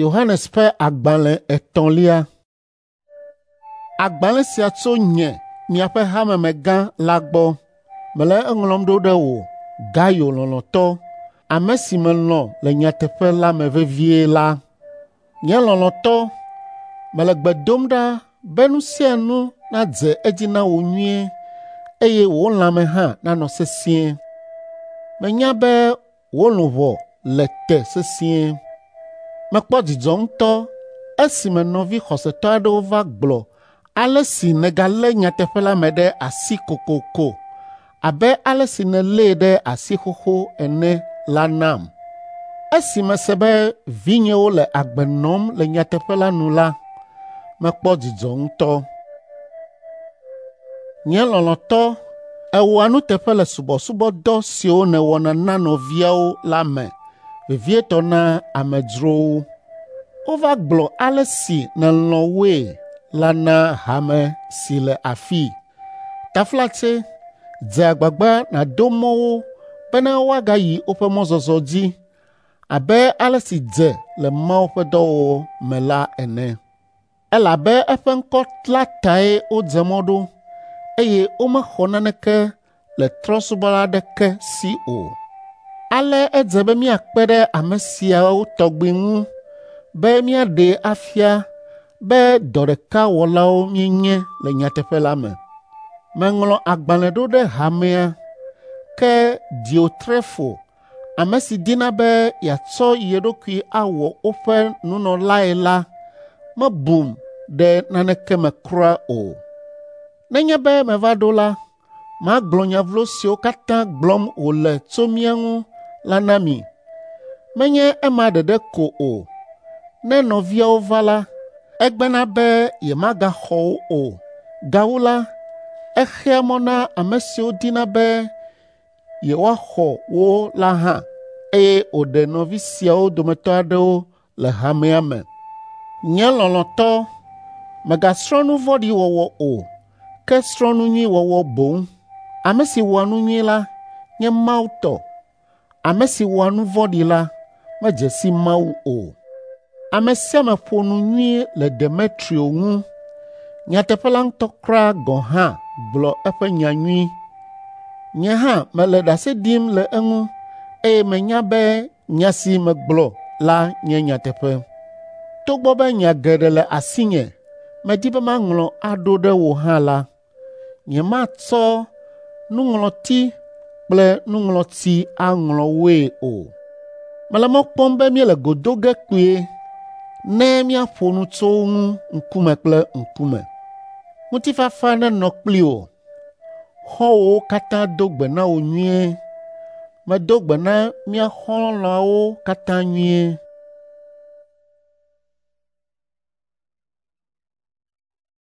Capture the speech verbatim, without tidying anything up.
Yohanes ƒe agbalẽ etɔ̃lia. Agbalẽ sia tso nye, miaƒe hamemegã la gbɔ. Mele eŋlɔm ɖo ɖe wò, Gayo lɔlɔ̃tɔ, ame si melɔ̃ le nyateƒe la me vevie la. Nye lɔlɔ̃tɔ, mele gbe dom ɖa be nu sia nu nadze edzi na wò nyuie eye wò lãme hã nanɔ sesĩe. Menya be wò luʋɔ le te sesĩe. Mekpɔ dzidzɔ ŋutɔ esime nɔvi xɔsetɔ aɖewo va gblɔ ale si nègalé nyateƒe la me ɖe asi kokoko abe ale si nèlée ɖe asi xoxo ene la nam. Esi mese be vinyewo le agbe nɔm le nyateƒe la nu la, mekpɔ dzidzɔ ŋutɔ. Nye lɔlɔ̃tɔ, èwɔa nuteƒe le subɔsubɔdɔ siwo nèwɔna na nɔviawo la me, vevietɔ na amedzrowo. Wova gblɔ ale si nèlɔ̃ woe la na hame si le afii. Taflatse, dze agbagba nàdo mɔ wo bena woagayi woƒe mɔzɔzɔ dzi abe ale si dze le Mawu ƒe dɔwɔwɔ me la ene. Elabe eƒe ŋkɔ la tae wodze mɔ ɖo eye womexɔ naneke le trɔ̃subɔla aɖeke si o. Ale edze be míakpe ɖe ame siawo tɔgbi ŋu be míaɖee afia be dɔ ɖeka wɔlawo míenye le nyateƒe la me. Meŋlɔ agbalẽ ɖo ɖe hamea, ke Diotrefo, ame si dina be yeatsɔ ye ɖokui awɔ woƒe nunɔlae la mebum ɖe naneke me kura o. Nenye be meva ɖo la, magblɔ nya vlo siwo katã gblɔm wòle tso mía ŋu la na mi. Menye ema ɖeɖe ko o, ne nɔviawo va la, egbena be yemagaxɔ wo o. Gawu la, exea mɔ na ame siwo dina be yewoaxɔ wo la hã, eye wòɖe nɔvi siawo dometɔ aɖewo le hamea me. Nye lɔlɔ̃tɔ, mègasrɔ̃ nu vɔ̃ɖi wɔwɔ o, ke srɔ̃ nu nyui wɔwɔ boŋ. Ame si wɔa nu nyui la nye Mawu tɔ. Ame si wɔa nu vɔ̃ɖi la medze si Mawu o. Ame sia ame ƒo nu nyui le Demetrio ŋu. Nyateƒe la ŋutɔ kura gɔ̃ hã gblɔ eƒe nya nyui. Nye hã mele ɖase ɖim le eŋu eye menya be nya si megblɔ la nye nyateƒe. Togbɔ be nya geɖe le asinye medi be maŋlɔ aɖo ɖe wò hã la, nyematsɔ nuŋlɔti kple nuŋlɔtsi aŋlɔ woe o. Mele mɔ kpɔm be míele go do ge kpuie ne míaƒo nu tso wo ŋu ŋkume kple ŋkume. Ŋutifafa nenɔ kpli wò. Xɔ̃wòwo katã do gbe na wò nyuie. Medo gbe na mía xɔlɔ̃awo katã nyuie.